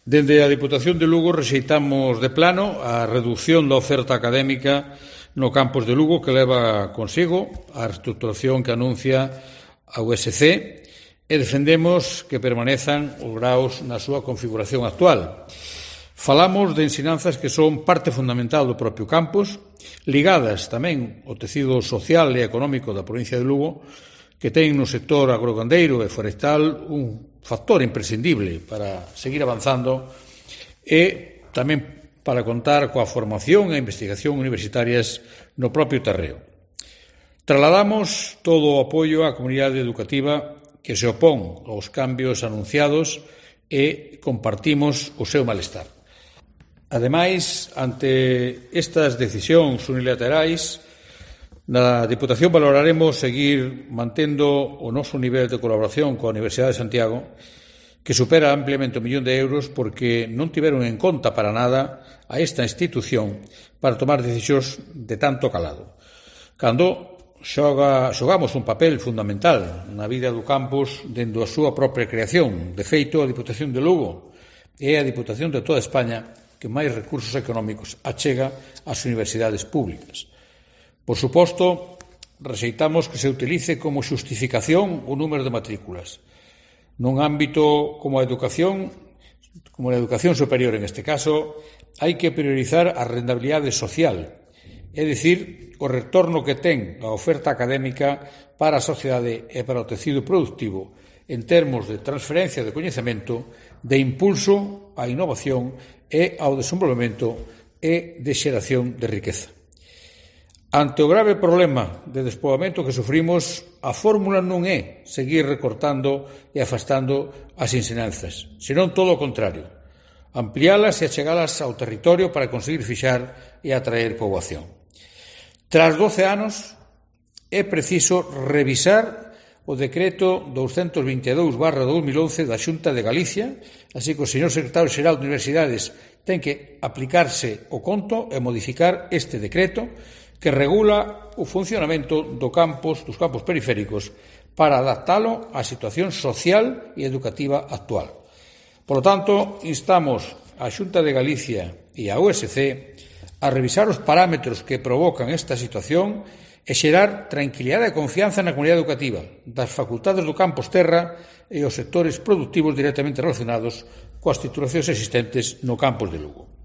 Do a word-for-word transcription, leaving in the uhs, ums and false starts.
Dende a Diputación de Lugo rexeitamos de plano a reducción da oferta académica no campus de Lugo que leva consigo a reestructuración que anuncia a U S C e defendemos que permanezan os graos na súa configuración actual. Falamos de ensinanzas que son parte fundamental do propio campus, ligadas tamén ao tecido social e económico da provincia de Lugo, que ten no sector agrogandeiro e forestal un factor imprescindible para seguir avanzando e tamén para contar coa formación e investigación universitarias no propio terreo. Trasladamos todo o apoio á comunidade educativa que se opón aos cambios anunciados e compartimos o seu malestar. Ademais, ante estas decisións unilaterais, na Diputación valoraremos seguir mantendo o noso nivel de colaboración coa Universidade de Santiago, que supera ampliamente o millón de euros porque non tiveron en conta para nada a esta institución para tomar decisións de tanto calado. Cando xoga, xogamos un papel fundamental na vida do campus dende a súa propia creación. De feito, a Diputación de Lugo é a Diputación de toda España que máis recursos económicos achega ás universidades públicas. Por suposto, rexeitamos que se utilice como xustificación o número de matrículas. Nun ámbito como a educación, como a educación superior en este caso, hai que priorizar a rentabilidade social, é dicir, o retorno que ten a oferta académica para a sociedade e para o tecido productivo en termos de transferencia de coñecemento, de impulso á innovación e ao desenvolvemento e de xeración de riqueza. Ante o grave problema de despoboamento que sufrimos, a fórmula non é seguir recortando e afastando as ensinanzas, senón todo o contrario, ampliálas e achegalas ao territorio para conseguir fixar e atraer poboación. Tras doce anos, é preciso revisar o decreto doscientos veintidós barra dos mil once da Xunta de Galicia, así que o señor secretario xeral de Universidades ten que aplicarse o conto e modificar este decreto que regula o funcionamento do campus, dos campus periféricos para adaptalo á situación social e educativa actual. Por lo tanto, instamos á Xunta de Galicia e á U S C a revisar os parámetros que provocan esta situación e xerar tranquilidade e confianza na comunidade educativa, das facultades do campus terra e os sectores productivos directamente relacionados coas titulacións existentes no campus de Lugo.